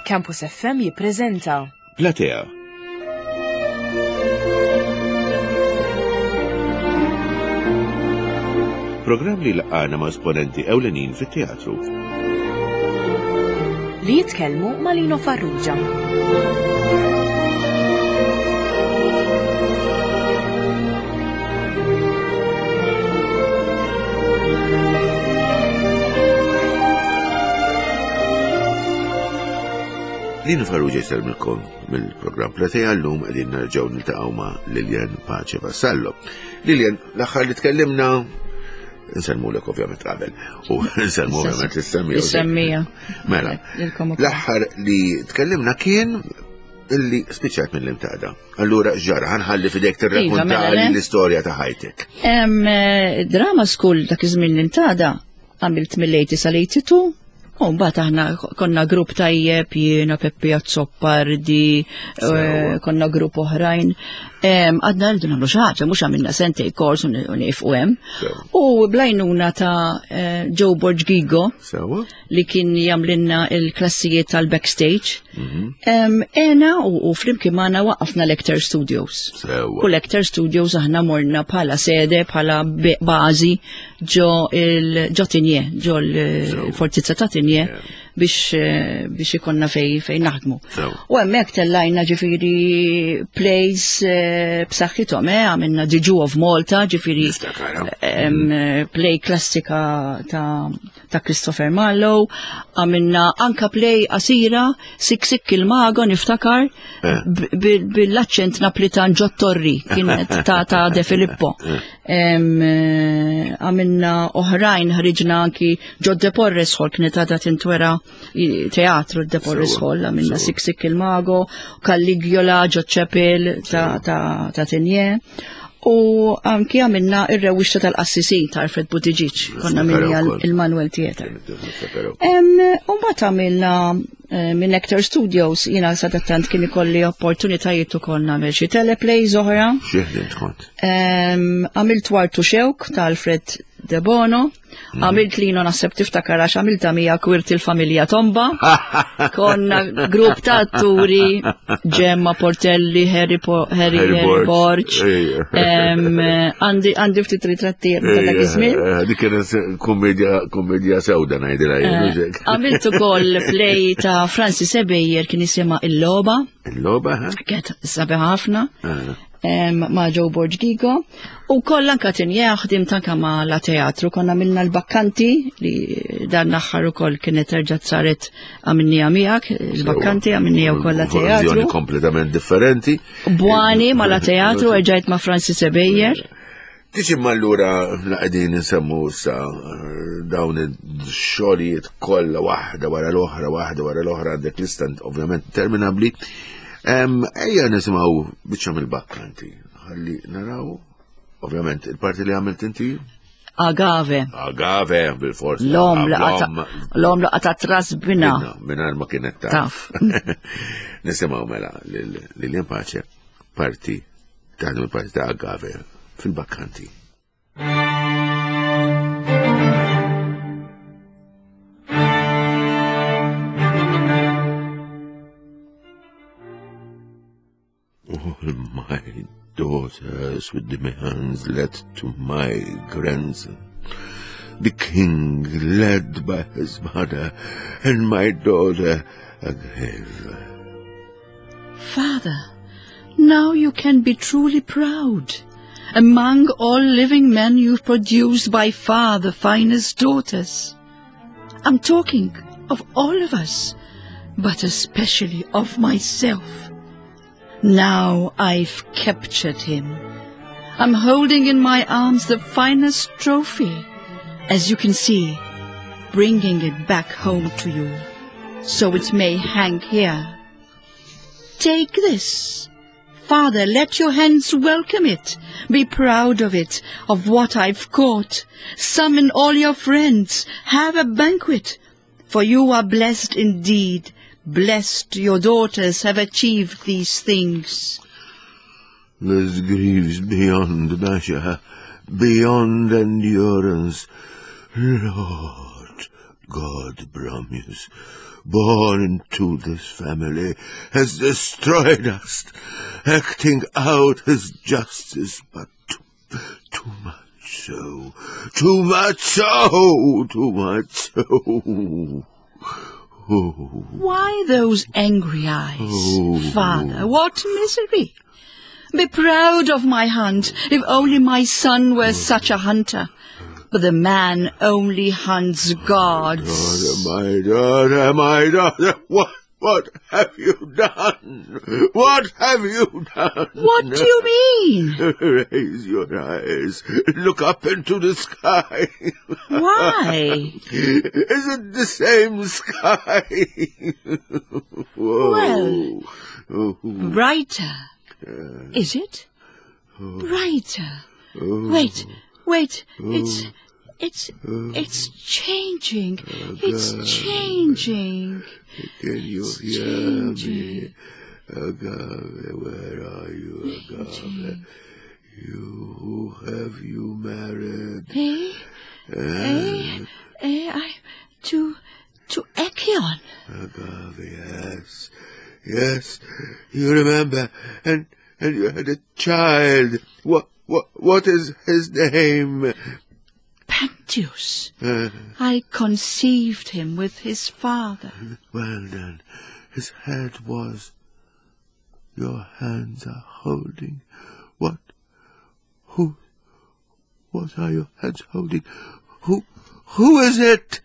Campus FM jippreżenta Platea. Programm li laqana ma' esponenti ewlenin fit-teatru. Li jitkellmu ma' Lino Farrugia. Lino Farrugia jsellmilkom mill-programm Platea llum qegħdin nerġgħu niltaqgħu ma' Lilian Pace Vassallo. Lilian, l-aħħar li tkellimna Nsellmulek ovvjament qabel u nsellmu ovvjament l-semmija. Is-semmija. Mela, l-aħħar li tkellimna kien illi spiċċat mill-imtada. Allura ġara, ħanħalli fidejk tirrakkonta Iva, mela, le. l-istorja ta' ħajtek. Em, eh, Drama school dak iż-żmien l-imtada għamilt mill-80 sal-82 u mbagħad aħna konna grupp tajjeb jiena Peppi Azzopardi, eh, Sewa. konna grupp oħrajn. Em, Għadna rridu nagħmlu xi ħaġa, mhux għamilna sentej kors u nieqfu hemm. Sewa. U blajnuna ta' eh, Joe Borg Gigo Sewa? li kien jagħmlilna il-klassijiet tal-backstage. Mhm. Em, Ena u, u flimkien magħna waqafna Lecter Studios. Sewa. U Lecter Studios aħna morna bħala sede, bħala be- bażi ġo il ġo Tinje, ġo l-fortizza ta' Tinje biex eh, biex ikonna fej fej naħdmu. Sewa. U hemmhekk tellajna ġifieri plays eh, b'saħħithom, eh, għamilna The Jew of Malta, ġifieri Niftakarha. em, eh, play klassika ta' ta' Christopher Marlowe, għamilna anka play qasira, Sik Sik il-Mago niftakar, Eh. b- b- bil-aċċent Naplitan Ġottorri, kienet ta' ta' De Filippo. Em, eh, Għamilna oħrajn ħriġna anki ġo De Porres Hall, kienet għadha tintwera i- teatru De Porres Sewa, Hall, għamilna sewa. Sik Sik il-Mago, Caligula, ġo Chapel ta' ta' ta' Tinje. U anki għamilna ir-rewwixta tal-qassisin ta' Alfred Buttigieg, konna Niftakar minni ukoll. il-Manuel Theatre. Niftakarha. Em, U mbagħad għamilna eh, minn Nectar Studios, jiena sadattant kien ikolli opportunitajiet ukoll nagħmel xi teleplays oħra. Xi ħdimt kont? Em, Għamilt Wartu Xewk ta' Alfred De Bono, Mm. għamilt lino naħseb tiftakar għax għamilta mija kwirt il-familja Tomba, konna grupp ta' atturi, Gemma Portelli, Harry, po Harry, Harry Harry Borg. Borg, Ejja. Em, għandi għandi ftit ritratti ta' dak iż-żmien. Eh, Dik kienet kummedja kummedja sewda ngħidilha jien, mhux hekk? Għamilt ukoll play ta' Francis Ebejer kien jisimha Il-Loba, Il-logħba, ha? kienet sabiħa ħafna. Ah. em, ma' Joe Borg Gigo. U koll anka tinja ħdimt anka ma' la teatru, konna minna l-bakkanti li dan l-aħħar ukoll kienet terġa' saret għamilnija miegħek, il-bakkanti għamilnija wkoll la Verżjoni teatru. kompletament differenti. Bwani ma' la teatru erġajt ma' Francis Ebejer. Tiġi allura la qegħdin insemmu issa eh, dawn ix-xogħlijiet kollha waħda wara l-oħra, waħda wara l-oħra għandek lista ovvjament interminabbli. Em, Ejja nisimgħu biċċa mill-bakkanti. Ħalli naraw ovvjament il-parti li għamilt inti Agave. Agave bil-forsi. L-om l-om laqata tras bina. Mingħajr ma kienet taf. Taf. Nisimgħu mela lil Lilian Pace parti taħdem il-parti ta' Agave fil-bakkanti. All my daughters with demands led to my grandson. The king led by his mother, and my daughter Agave. Father, now you can be truly proud. Among all living men you've produced by far the finest daughters. I'm talking of all of us, but especially of myself. Now I've captured him. I'm holding in my arms the finest trophy, as you can see, bringing it back home to you, so it may hang here. Take this. Father, let your hands welcome it. Be proud of it, of what I've caught. Summon all your friends. Have a banquet. For you are blessed indeed. Blessed your daughters have achieved these things. This grieves beyond measure, beyond endurance. Lord God Bromius. born into this family, has destroyed us, acting out his justice, but too, too much so, too much so, too much so. Oh. Why those angry eyes, oh. Father? What misery! Be proud of my hunt, if only my son were such a hunter. But the man only hunts gods. My daughter, my daughter, my daughter, what, what have you done? What have you done? What do you mean? Raise your eyes. Look up into the sky. Why? Is it the same sky? Well, brighter. Is it? Brighter. Wait, wait, it's... It's it's changing. It's changing. Can you It's hear changing. me? Agave, where are you, Agave? You, who have you married? Eh? Eh? Eh? I to Echion. Agave, yes. Yes, you remember. And you had a child. What is his name? Pentheus. I conceived him with his father. Well then, his head was... Your hands are holding. What? Who? What are your hands holding? Who? Who is it?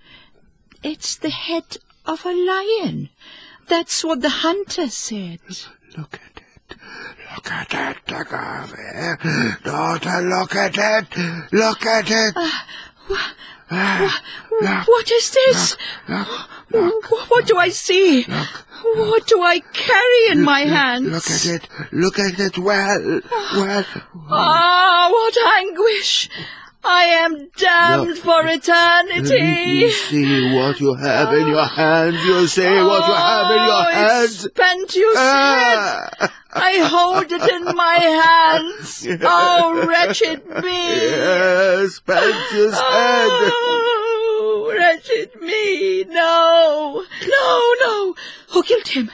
It's the head of a lion. That's what the hunter said. Look at it. Look at it, Agave. Daughter, look at it. Look at it. Look, What is this? Look, look, What do I see? Look. What do I carry in my hands? Look at it. Look at it well. Well. Ah, what anguish! I am damned Look. for eternity. You see what you have in your hands. You see what you have in your Oh, hands. It's Pentheus' head. I hold it in my hands. Oh, wretched me. Yes, Pentheus' head. Oh, wretched me. No, no, no. Who killed him?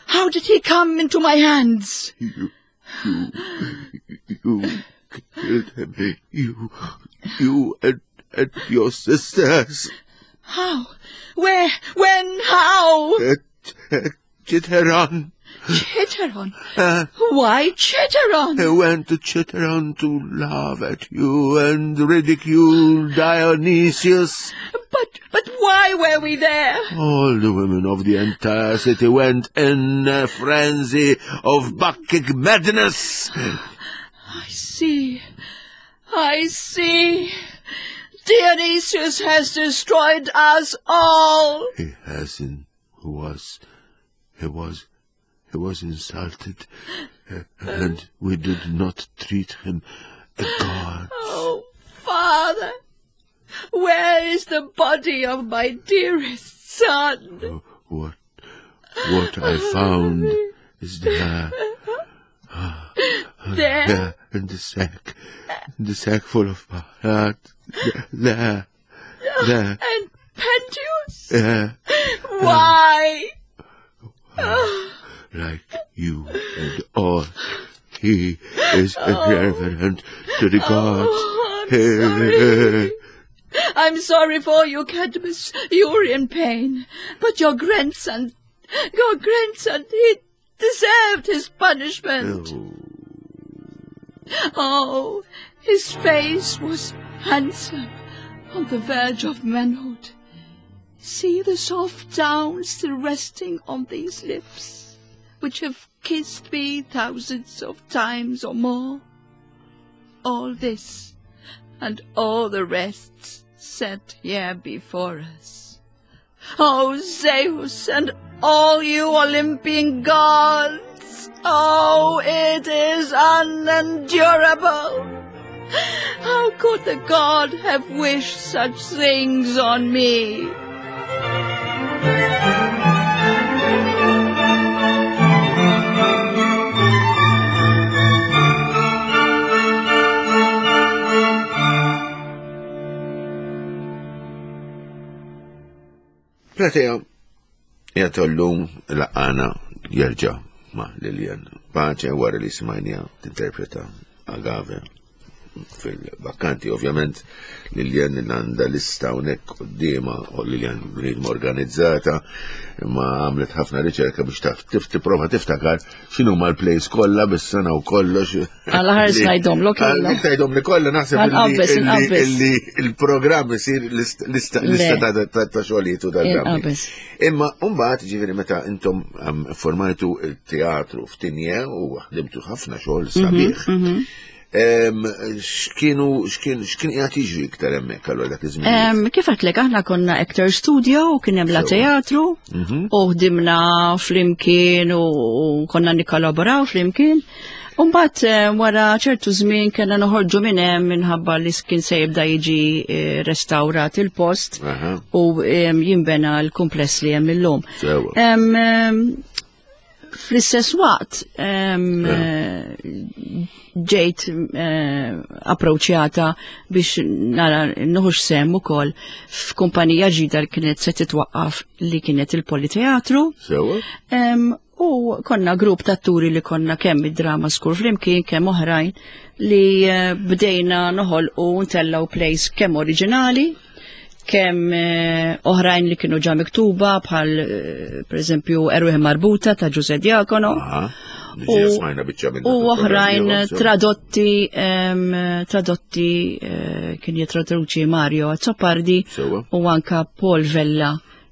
How did he come into my hands? You killed him. You and your sisters. How? Where? When? How? At Chitteron. Chitteron? Why Chitteron? I went to Chitteron to laugh at you and ridicule Dionysius. But why were we there? All the women of the entire city went in a frenzy of Bacchic madness. I see. I see. Dionysius has destroyed us all. He hasn't. He was insulted, and we did not treat him a god. Oh, Father, where is the body of my dearest son? What I found is there. There? There, in the sack. In the sack full of blood. There. There. And Pentheus? There. Why? Like you and all, he is irreverent to the gods. Oh, I'm sorry. I'm sorry for you, Cadmus. You're in pain. But your grandson, he deserved his punishment. Oh, his face was handsome, on the verge of manhood. See the soft down still resting on these lips, which have kissed me thousands of times or more. All this, and all the rest, set here before us. Oh, Zeus, and all you Olympian gods! Oh, it is unendurable! How could the god have wished such things on me? Platea, Jgħatollum laqana jerġa' ma' Lilian Pace wara li smajnija tinterpreta Agave fil-bakkanti. Ovvjament Lilian għandha lista hawnhekk quddiemha u Lilian bniedma organizzata imma għamlet ħafna riċerka biex taf tipprova tiftakar x'inhu l-plays kollha bis-sena u kollox. Għala ħares ngħidhom l kollha. Ngħidhom li kollha naħseb li il-programm isir lista ta' xogħlijiet u tal-drammi. Imma mbagħad ġifieri meta intom formajtu il-teatru f'Tinje u ħdimtu ħafna xogħol mhm, sabiħ. Mhm. X'kienu x'kien x'kien qiegħed jiġri iktar hemmhekk allura dak iż-żmien? Kif għedtlek aħna konna actor studio u kien hemm la teatru mhm. u ħdimna flimkien u konna nikkollaboraw flimkien. Umbat eh, wara ċertu żmien kellna noħorġu minn hemm minħabba li kien se jibda jiġi eh, restawrat il-post u jinbena l-kumpless li hemm illum. Fl-istess waqt eh, ġejt approċċjata biex nara nuħux sem ukoll f'kumpanija ġdida li kienet se titwaqqaf li kienet il-Politeatru. U konna grupp ta' atturi li konna kemm id-drama skur flimkien kemm oħrajn li eh, bdejna noħolqu ntellaw plays kemm oriġinali, kemm eh, oħrajn li kienu ġa miktuba bħal eh, pereżempju Erwieħ Marbuta ta' Ġuże Diakono. U oħrajn tradotti tradotti kien jitraduċi Mario Azzopardi u anka Paul Vella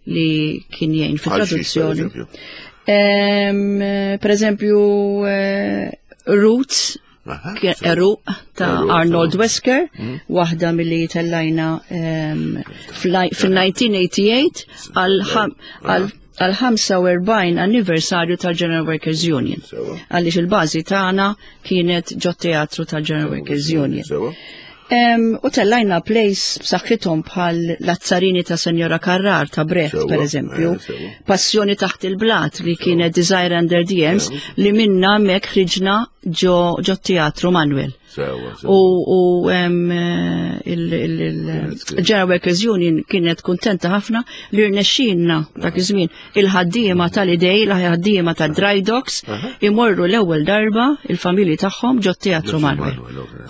li kien jgħin fit-traduzzjoni. Per eżempju, eh, Roots, Eru ta' Arnold Wesker, mm. waħda mill-li tellajna fil-1988 għal 45 anniversarju tal-General Workers Union. Għaliex il-bażi tagħna kienet ġo teatru tal-General Workers Union. U tellajna plays b'saħħithom bħal l-azzarini ta' Senjora Carrar ta' Brecht, per eżempju, eh, Passjoni taħt il-blat li kienet Desire Under the Ems li minna mek ħriġna ġo teatru Manuel. U il-General Workers Union kienet kuntenta ħafna li rnexxinna dak iż-żmien il-ħaddiema tal-idej, il-ħaddiema tad-dry docks imorru l-ewwel darba il-familji tagħhom ġo teatru Manuel.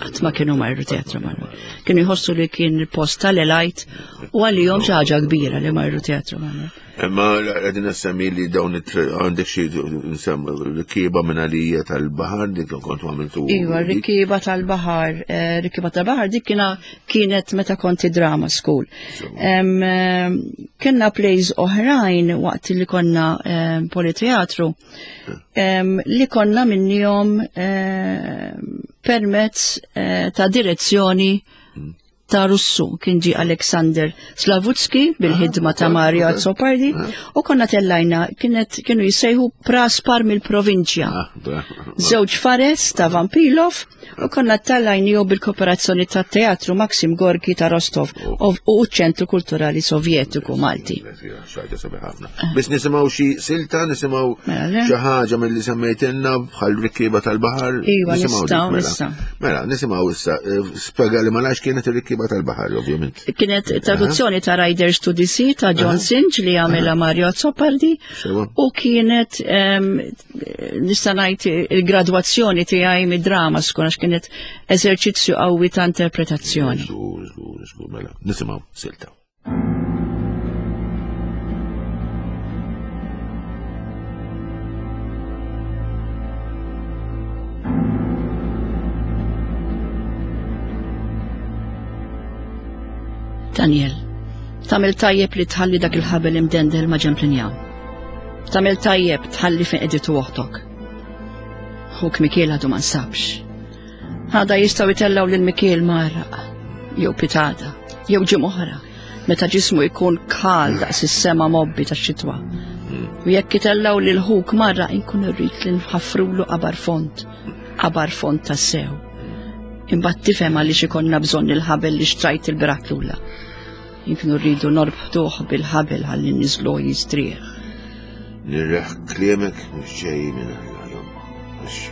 Qatt ma kienu marru teatru Manuel. Kienu jħossu li kien il-post tal-elajt u għalihom xi ħaġa kbira li marru teatru Manuel. Imma qegħdin nassemmi li dawn għandek xi nsemmu rikieba minn għalija tal-baħar dik kont għamiltu. Iva, rikieba tal-baħar, eh, rikieba tal-baħar dik kiena kienet meta konti drama school. Eh, kenna plays oħrajn waqt li konna eh, politeatru li konna minnihom permezz ta' direzzjoni mm. ta' Russu kien ġie Alexander Slavutski bil-ħidma ta' Mario Azzopardi ah. u konna tellajna kienet kienu jissejħu Praspar mill-provinċja. Ah, Żewġ fares ta' Vampilov u konna tellajniju bil-kooperazzjoni ta' Teatru Maxim Gorki ta' Rostov oh. u ċentru Kulturali Sovjetiku Malti. Biss nisimgħu xi silta, nisimgħu mela, xi ħaġa milli semmejtilna bħal rikkiba tal-baħar. Iva, nistgħu mela. issa. Mela, nisimgħu issa. Eh, spjega li malax kienet ir-rikkiba tal-baħar, ovvjament. Kienet traduzzjoni ta' Riders to the Sea ta' John Sinch li għamela Mario Azzopardi u kienet ehm, nista' ngħid il-gradwazzjoni tiegħi mid-drama skun għax kienet eżerċizzju qawwi ta' interpretazzjoni. Mela, nisimgħu silta. Daniel, tamil tajjeb li tħalli dak il-ħabel imdendel ma' ġemp l-injam. Tamil tajjeb tħalli fejn qeditu oħtok. Ħuk Mikiel għadu ma nsabx. Għada jistgħu jtellgħu lil Mikiel mgħarraq, jew pitada, jew ġimgħa oħra, meta ġismu jkun kal daqs is-sema mobbi tax-xitwa. U jekk itellgħu lil ħuk marra inkun irrid li nħaffrulu qabar fond, qabar fond tassew. Imbagħad tifhem għaliex ikollna bżonn il-ħabel li xtrajt il-birat lula. Inkunu rridu norbtuh bil-ħabel ħalli niżlu jistrieħ. Nirreħ kliemek mhux ġej minn Alla jom. Għax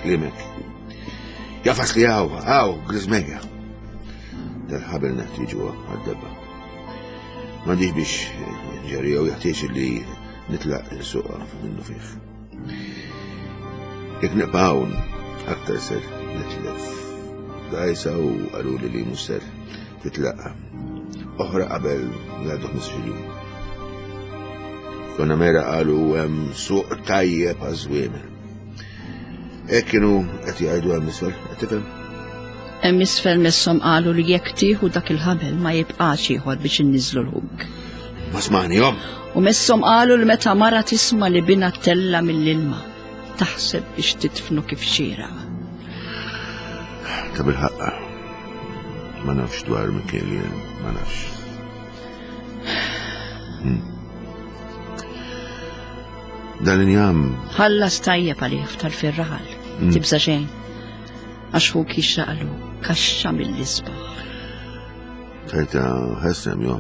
kliemek. Jafas li għaw, għaw, grizmeja. Dal-ħabel neħtieġu għad-debba. M'għandix biex ġerri jew jeħtieġ li Nitlaq insuqha minnu fih. Jekk nibqa' hawn, aktar ser nitlef. Dajsa u qaluli li mhux ser titlaq oħra qabel jgħaddu 15 jum. Konna mera qalu hemm suq tajjeb għaż-żwiemel. Hekk kienu qed jgħidu hemm isfel, qed tifhem? Hemm isfel messhom qalu li jekk tieħu dak il-ħabel ma jibqax ieħor biex inniżlu l-ħuk. Ma smajnihom. U messhom qalu li meta mara tisma' li bina tella mill-ilma, taħseb biex titfnu kif xieraq. Ta' bil-ħaqqa. Ma nafx dwar Mikiel jien, ma nafx. Hmm. Dan injam. Ħallas tajjeb għalih tal-firraħal, hmm. tibża xejn. Għax hu kixraqlu kaxxa mill-isbaħ. Tajta ħessem jo.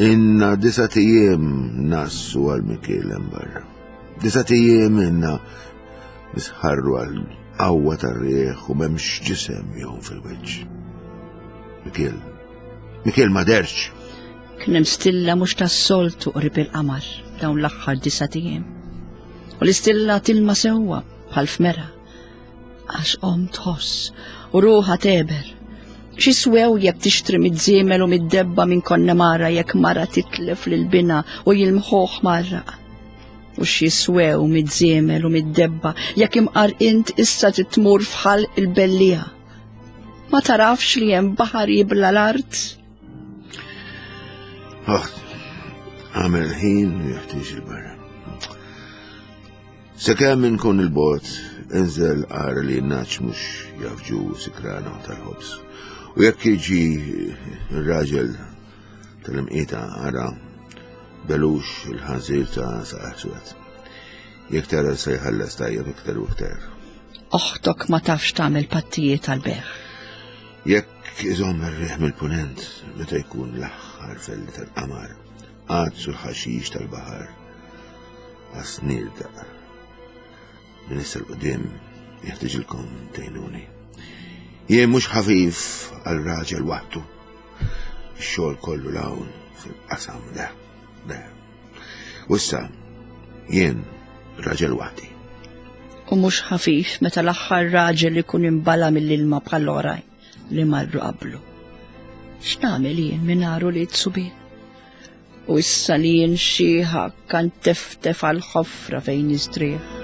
Inna disa tijiem nassu għal Mikiel hemm barra. Disa tijiem inna nisħarru għal qawwa tar-rieħ u m'hemmx ġisem jom fil-wiċċ. Mikiel, Mikiel ma derx. Kien hemm stilla mhux tas-soltu qrib il-qamar dawn l-aħħar disa' tijiem. U l-istilla tilma sewwa bħal f'mera. Għax om tħoss u ruħha teber. Xi swew jekk tixtri mid-żiemel u mid-debba minn Konnemara jekk mara titlef lil binha u jilmħuh marraq. U xi swew mid-żiemel u mid-debba jekk imqar int issa titmur f'ħalq il-bellieħa. Ma tarafx li hemm baħar jibla l-art? Oħt, għamel ħin jeħtieġ il-barra. Sakemm inkun il-bot, inżel għara li n-naċ mhux jafġu sikrana tal-ħobż. U jekk jiġi r-raġel tal-imqieta ara belux il-ħanżir ta' saqaħ swed. Jekk tara se jħallas tajjeb iktar u iktar. Oħtok ma tafx tagħmel pattijiet tal-beħ. Jekk iżomm ir-riħ mill-punent meta jkun l-aħħar felli tal-qamar, għadsu l-ħaxix tal-baħar għas-snir daq. Minn issa l-qudiem jeħtieġilkom tgħinuni. Jien mhux ħafif għal raġel waħdu. Ix-xogħol kollu l-hawn fil-qasam le, le. U issa jien raġel waħdi. U mhux ħafif meta l-aħħar raġel ikun imbala mill-ilma bħall-oħrajn li marru qablu. X'nagħmel jien mingħajr ulied subien? U issa li jien xieħa kan teftef għal ħofra fejn nistrieħ.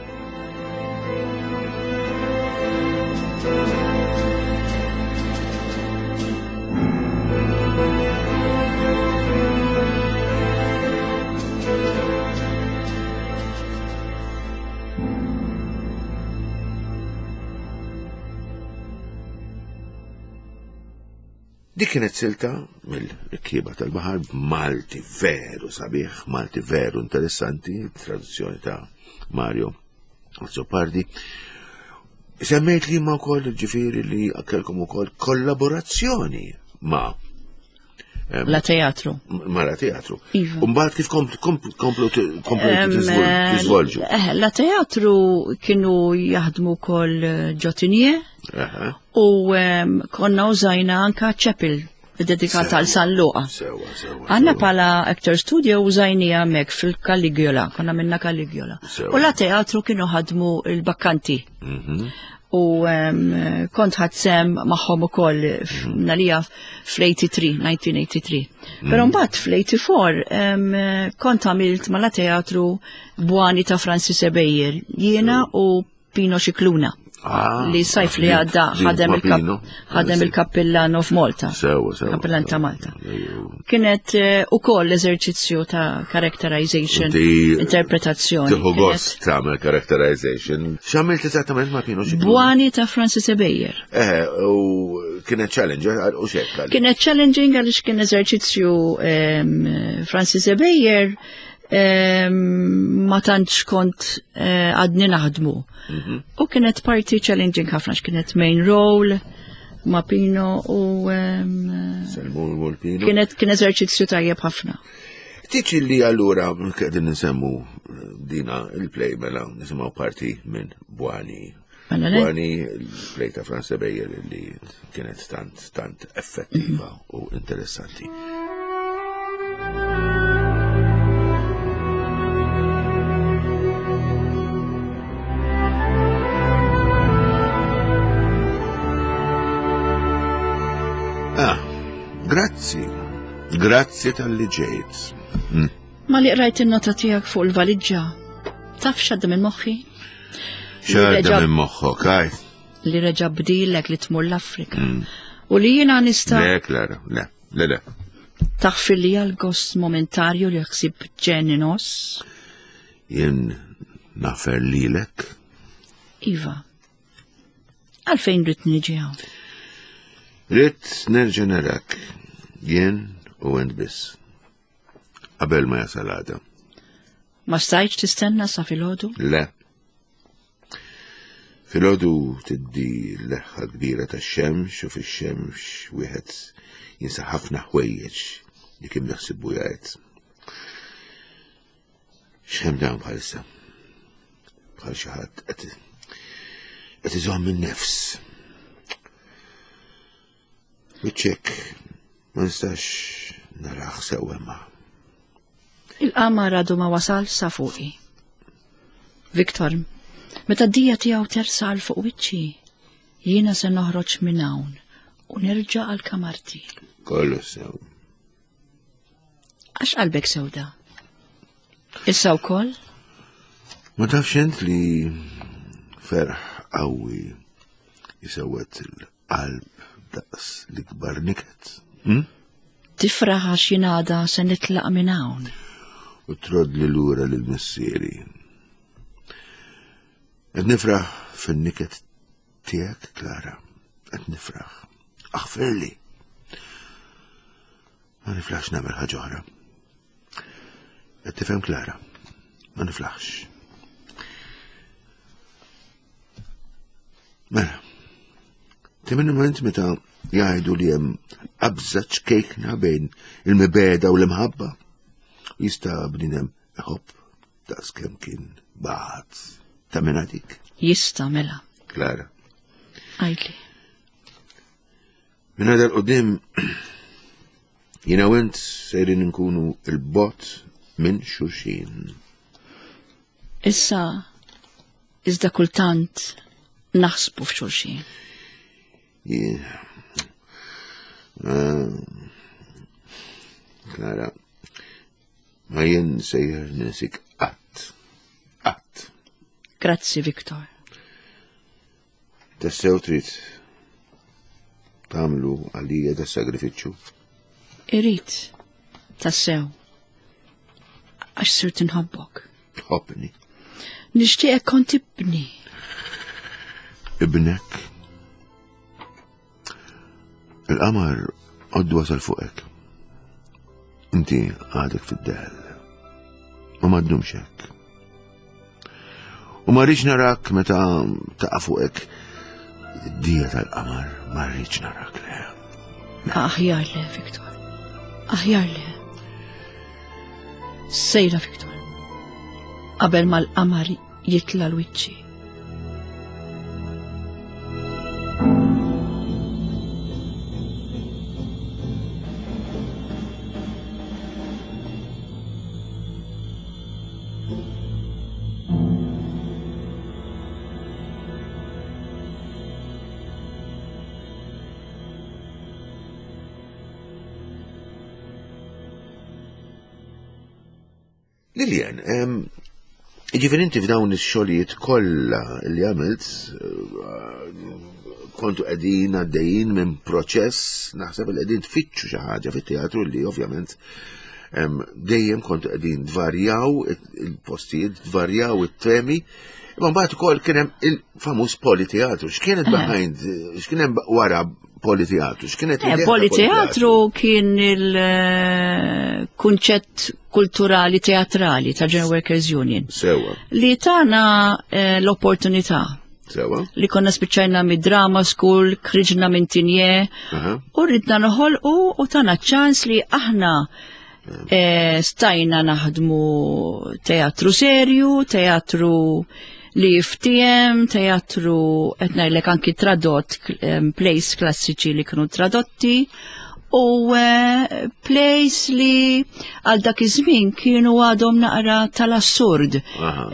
Dik kienet silta mill-Rikkieba tal-Baħar b'Malti veru sabiħ, Malti veru interessanti, traduzzjoni ta' Mario Azzopardi. Semmejt li ma wkoll ġifieri li kelkom ukoll kollaborazzjoni ma' La teatru. Ma la teatru. Iva. Umbagħad kif komplu tiżvolġu? Eh, la teatru kienu jaħdmu wkoll eh, ġotinie u konna użajna anka chapel dedikata għal San Luqa. Għanna pala Actor Studio użajnija mek fil-Caligula, konna minna Caligula. U la teatru kienu ħadmu il-bakkanti. Mhm. U kont ħadsem magħhom ukoll mhm. nalija fl-83, 1983. Però mhm. mbagħad fl-84 kont għamilt ma la teatru Bwani ta' Francis Ebejer, jiena u Pino Scicluna. Ah, li sajf li għadda ħadem ħadem il-kappillan of Malta. Sewa, sewa. Kappillan ta' Malta. Kienet eh, u koll eżerċizzju ta' characterization, interpretazzjoni. Tiħu gost tagħmel characterization. X'għamilt eżattament ma' Pino Scicluna? Bwani ta' Francis Ebejer. Eh, u kienet challenge, eh, u xekk. Kienet challenging għaliex kien eżerċizzju ehm, Francis Ebejer ma tantx kont eh, għadni naħdmu. Mhm. U kienet parti challenging ħafna kienet main role ma' Pino u kienet kien eżerċizzju tajjeb ħafna. Tiċi li allura qegħdin nsemmu eh, dina il-play mela nisimgħu parti minn Bwani. Mela Bwani il-play ta' Franz Beyer li kienet tant tant effettiva mhm. u interessanti. Ah, grazzi. Grazzi tal-li ġejt. Mm. Ma li qrajt in-nota tiegħek fuq il-valiġġa. Taf x'għadda minn moħħi? X'għadda minn moħħok, għaj? Li reġa' bdilek li tmur l-Afrika. Mm. U li jiena nista' Le, Klara, le, le, le. Taħfir li għal-gost momentarju li ħsib ġeninos? Jien nafer lilek. Iva. Għalfejn rrid niġi hawn? Rrid nerġa' narak jien u ent biss. Qabel ma jasal għada. Ma stajtx tistenna sa filgħodu? Le. Filgħodu tiddi l-leħħa kbira tax-xemx u fix-xemx wieħed jinsa ħafna ħwejjeġ li kien jaħsibu jgħid. X'hemm dawn bħalissa? Bħal xi ħadd qed qed iżomm in-nefs. Wiċċek ma nistax naraħ sewwa ma. Il-qamar għadu ma wasal sa fuqi. Viktor, meta d-dija tiegħu tersa għal fuq wiċċi, jiena se noħroġ minn hawn u nerġa' għal kamarti. Kollu sew. Għax qalbek sewda. Issa wkoll? Ma tafx int li ferħ qawwi jisewwed il-qalb daqs l-ikbar niket. Hm? Tifraħ għax jingħada se nitlaq minn hawn. U trodd li lura lil missieri. Qed nifraħ fin-niket tiegħek, Klara. Qed nifraħ. Aħfirli. Ma niflaħx nagħmel ħaġa oħra. Qed tifhem Klara. Ma niflaħx. Mela, temmen moment meta jgħidu li hemm qabża ċkejkna bejn il-mibeda u l-imħabba. Jista' bniedem iħobb daqs kemm kien bagħat ta' minn dik. Jista' mela. Klara. Għidli. Minn għada l-qoddim, jina u int sejrin nkunu il-bot minn xulxin. Issa, iżda kultant naħsbu f'xulxin. Ah, Klara, ma jien sejjer ninsik qatt. Qatt. Grazzi, Viktor. Tassew trid tagħmlu għalija da sagrifiċċju? Irid, tassew. Għax sirt inħobbok. Tħobbni. Nixtieqek kont ibni. Ibnek. Il-qamar għoddu wasal fuqek. Inti għadek fid-dell. U ma ddumx hekk. U ma rridx narak meta taqa' fuqek id-dija tal-qamar, ma rridx narak le. Aħjar le, Viktor. Aħjar le. Sejra, Viktor. Qabel ma l-qamar jitla l-wiċċi. Lilian, ġifiri inti f'dawn ix-xogħlijiet kollha li għamilt eh, kontu qegħdin għaddejjin minn proċess naħseb li qegħdin tfittxu xi ħaġa fit-teatru li ovvjament dejjem kontu qegħdin tvarjaw il-postijiet, tvarjaw it-temi. Imma mbagħad ukoll kien hemm il-famuż politeatru. X'kienet eh. behind, x'kien hemm wara Politeatru, x'kienet eh, Politeatru kien il-kunċett kulturali teatrali ta' General Workers Union. Sewa. Li tana eh, l-opportunità. Sewa. Li konna spiċċajna mid-drama school, kriġna minn tinje, u ridna noħolqu u tana ċans li aħna eh, stajna naħdmu teatru serju, teatru li jiftiem, teatru qed ngħidlek anki tradott plays klassiċi li kienu tradotti. U eh, plays li għal dak iż-żmien kienu għadhom naqra tal-assurd.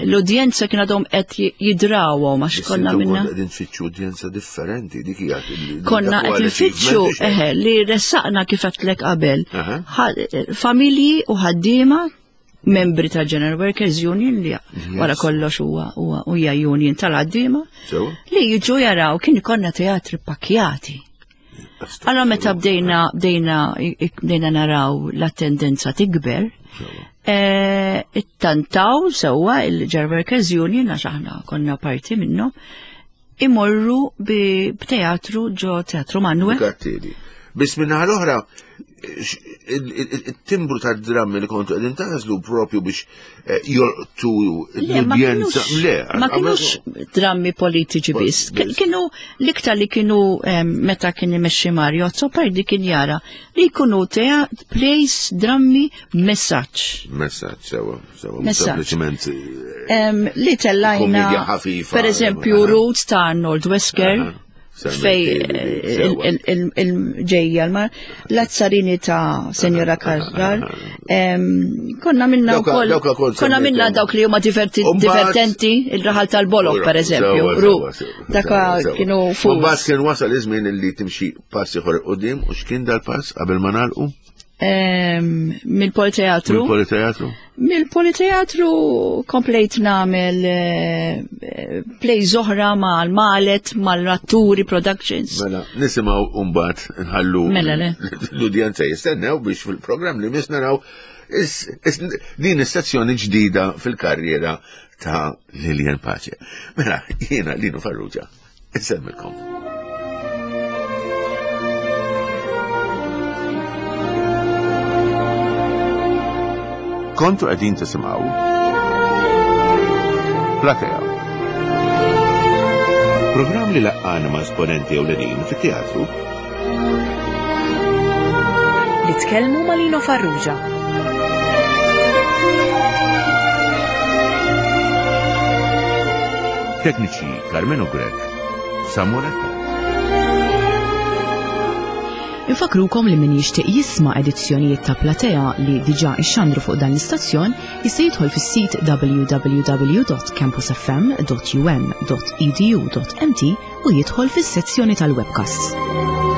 L-udjenza kien għadhom qed jidrawhom għax konna minna. Qegħdin tfittxu udjenza differenti dik hija. Konna qed nfittxu eħe li ressaqna kif għedtlek qabel. Familji u ħaddiema membri tal General Workers Union li wara kollox huwa huwa union tal-ħaddiema li jiġu jaraw kien ikollna teatri pakjati. Allora meta bdejna bdejna bdejna naraw l-attendenza tikber, eh, ittantaw sewwa il-General Workers Union għax aħna konna parti minnhom imorru b'teatru ġo Teatru Manuel. Biss minna l-oħra, il-timbru ta' drammi li kontu għedin tażlu propju biex eh, jolqtu l-udjenza. Le, ma kienux drammi politiċi biss. Kienu l-iktar li kienu meta kien imexxi Mario Azzopardi kien jara li jkunu tea plays drammi messaġġ. Messaġġ, sewa, sewa. Sempliċement. Eh, li tellajna. Per eżempju, Roots ta' Arnold Wesker. Fej il-ġejja l-azzarini ta' Senjora Karrar. Konna minna wkoll konna minna dawk li huma divertenti, il-raħal tal-bolok per eżempju. Ru, daka kienu fuq. Mbagħad kien wasal iż-żmien li timxi pass ieħor qudiem u x'kien dal-pass qabel ma nagħlqu? Mill-Politeatru. Mill-Politeatru? Mill-Politeatru komplejt namel eh, play zoħra mal-Malet, mal-Ratturi Productions. Mela, nisimaw umbat nħallu mela, l-udjenza jistennew biex fil-programm li mis naraw din is-sezzjoni ġdida fil-karriera ta' Lilian Pace. Mela, jiena Lino Farrugia. Insemmilkom. Kontu qegħdin tisimgħu Platea. Programm li laqqana ma' esponenti ewlenin fit-teatru. Li tkellmu ma' Lino Farrugia. Tekniċi Carmenu Grech, Samuel Infakrukom li min jixtieq jisma' edizzjonijiet ta' Platea li diġà ixxandru fuq dan l-istazzjon jista' jidħol fis-sit www.campusfm.um.edu.mt u jidħol fis-sezzjoni tal-webcasts.